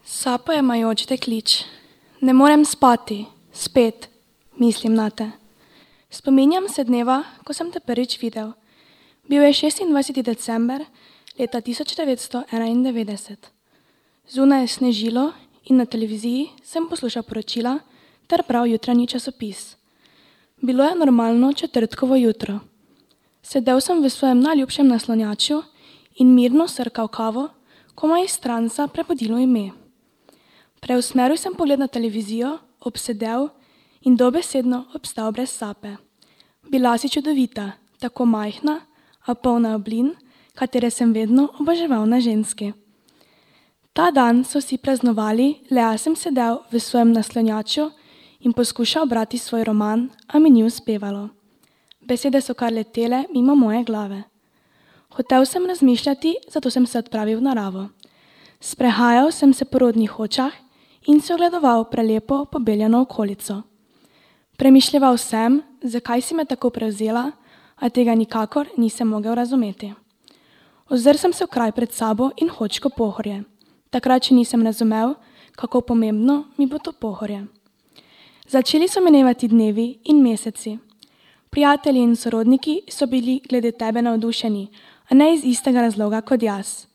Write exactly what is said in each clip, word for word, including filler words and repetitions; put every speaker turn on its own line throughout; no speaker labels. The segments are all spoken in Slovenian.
Sapo je majoč deklič. Ne morem spati, spet, mislim nate. Spominjam se dneva, ko sem te prvič videl. Bil je šestindvajseti december leta tisoč devetsto enaindevetdeset. Zunaj je snežilo in na televiziji sem poslušal poročila ter bral jutranji časopis. Bilo je normalno četrtkovo jutro. Sedel sem v svojem najljubšem naslonjaču in mirno srkal kavo, ko me je iz transa prebudilo ime. Preusmeril sem pogled na televizijo, obsedel in dobesedno obstal brez sape. Bila si čudovita, tako majhna, a polna oblin, katere sem vedno oboževal na ženski. Ta dan so vsi praznovali, le jaz sem sedel v svojem naslonjaču in poskušal brati svoj roman, a mi ni uspevalo. Besede so kar letele mimo moje glave. Hotel sem razmišljati, zato sem se odpravil v naravo. Sprehajal sem se po rodnih Hočah in se ogledoval prelepo pobeljeno okolico. Premišljeval sem, zakaj si me tako prevzela, a tega nikakor nisem mogel razumeti. Ozrl sem se v kraj pred sabo in Hočko Pohorje. Takrat še nisem razumel, kako pomembno mi bo to Pohorje. Začeli so minevati dnevi in meseci. Prijatelji in sorodniki so bili glede tebe navdušeni, a ne iz istega razloga kot jaz.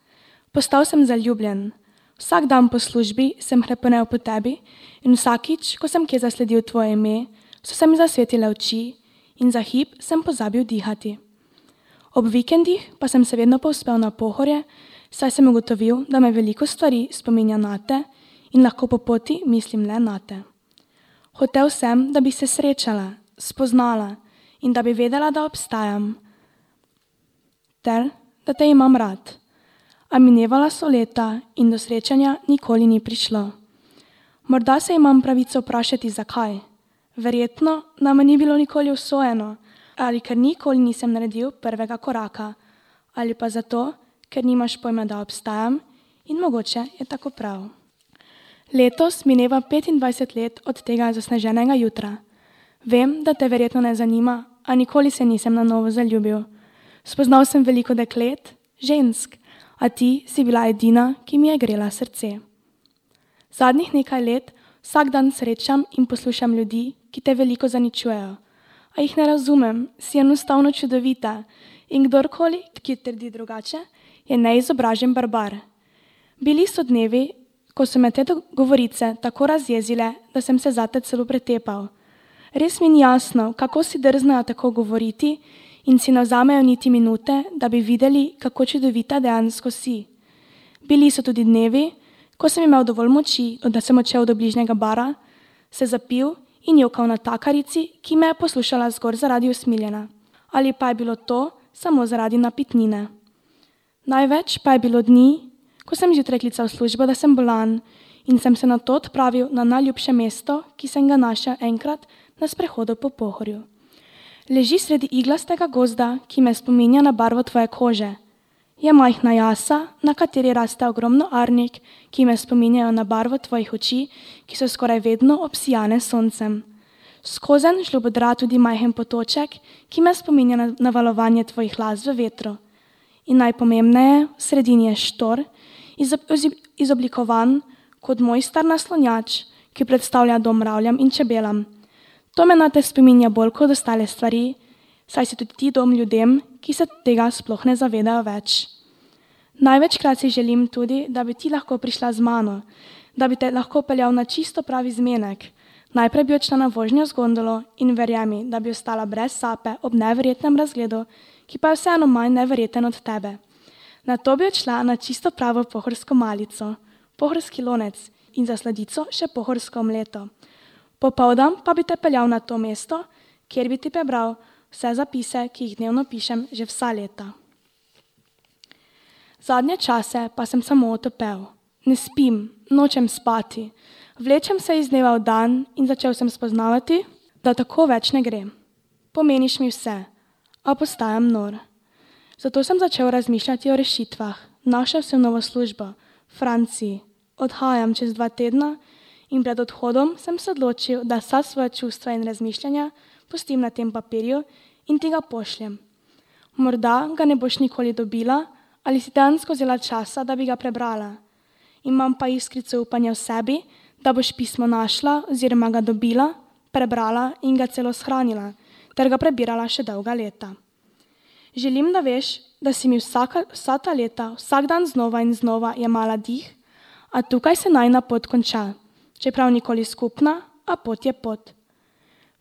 Postal sem zaljubljen. Vsak dan po službi sem hrepenel po tebi in vsakič, ko sem kje zasledil tvoje ime, so se mi zasvetile oči in za hip sem pozabil dihati. Ob vikendih pa sem se vedno povzpel na Pohorje, saj sem ugotovil, da me veliko stvari spominja nate in lahko po poti mislim le nate. Hotel sem, da bi se srečala, spoznala in da bi vedela, da obstajam ter da te imam rad. A minevala so leta in do srečanja nikoli ni prišlo. Morda se imam pravico vprašati, zakaj. Verjetno nama ni bilo nikoli usojeno, ali ker nikoli nisem naredil prvega koraka, ali pa zato, ker nimaš pojma, da obstajam in mogoče je tako prav. Letos mineva petindvajset let od tega zasneženega jutra. Vem, da te verjetno ne zanima, a nikoli se nisem na novo zaljubil. Spoznal sem veliko deklet, žensk, a ti si bila edina, ki mi je grela srce. Zadnjih nekaj let vsak dan srečam in poslušam ljudi, ki te veliko zaničujejo. A jih ne razumem, si enostavno čudovita in kdorkoli, ki trdi drugače, je neizobražen barbar. Bili so dnevi, ko so me te govorice tako razjezile, da sem se zate celo pretepal. Res mi ni jasno, kako si drznajo tako govoriti in si ne vzamejo niti minute, da bi videli, kako čudovita dejansko si. Bili so tudi dnevi, ko sem imel dovolj moči, da sem odšel do bližnjega bara, se zapil in jokal na takarici, ki me je poslušala zgolj zaradi usmiljena. Ali pa je bilo to samo zaradi napitnine. Največ pa je bilo dni, ko sem zjutraj klical službo, da sem bolan in sem se nato odpravil na najljubše mesto, ki sem ga našel enkrat na sprehodu po Pohorju. Leži sredi iglastega gozda, ki me spominja na barvo tvoje kože. Je majhna jasa, na kateri raste ogromno arnik, ki me spominjajo na barvo tvojih oči, ki so skoraj vedno obsijane s soncem. Skozenj žlobodra tudi majhen potoček, ki me spominja na, na valovanje tvojih las v vetru. In najpomembneje, v sredini je štor, izoblikovan kot moj star naslonjač, ki predstavlja dom mravljam in čebelam. To me nate spominja bolj kot ostale stvari, saj si tudi ti dom ljudem, ki se tega sploh ne zavedajo več. Največkrat si želim tudi, da bi ti lahko prišla z mano, da bi te lahko peljal na čisto pravi zmenek. Najprej bi odšla na vožnjo z gondolo in verjemi, da bi ostala brez sape ob neverjetnem razgledu, ki pa je vseeno manj neverjeten od tebe. Nato bi odšla na čisto pravo pohorsko malico, pohorski lonec in za sladico še pohorsko omleto. Popoldan pa bi te peljal na to mesto, kjer bi ti prebral vse zapise, ki jih dnevno pišem že vsa leta. Zadnje čase pa sem samo otopel. Ne spim, nočem spati. Vlečem se iz dneva v dan in začel sem spoznavati, da tako več ne gre. Pomeniš mi vse, a postajam nor. Zato sem začel razmišljati o rešitvah. Našel sem novo službo, v Franciji. Odhajam čez dva tedna in pred odhodom sem se odločil, da vsa svoja čustva in razmišljanja pustim na tem papirju in ti ga pošljem. Morda ga ne boš nikoli dobila ali si dejansko vzela časa, da bi ga prebrala. Imam pa iskrico upanja v sebi, da boš pismo našla oziroma ga dobila, prebrala in ga celo shranila, ter ga prebirala še dolga leta. Želim, da veš, da si mi vsaka, vsa ta leta, vsak dan znova in znova jemala dih, a tukaj se najina pot konča, čeprav nikoli skupna, a pot je pot.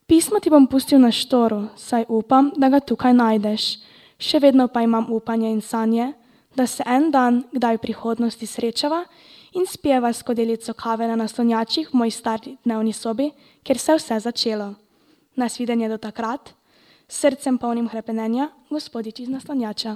Pismo ti bom pustil na štoru, saj upam, da ga tukaj najdeš. Še vedno pa imam upanje in sanje, da se en dan, kdaj v prihodnosti srečava in spijeva skodelico kave na naslonjačih v moji stari dnevni sobi, kjer se je vse začelo. Nasvidenje do takrat, s srcem polnim hrepenenja, Gospodič iz naslonjača.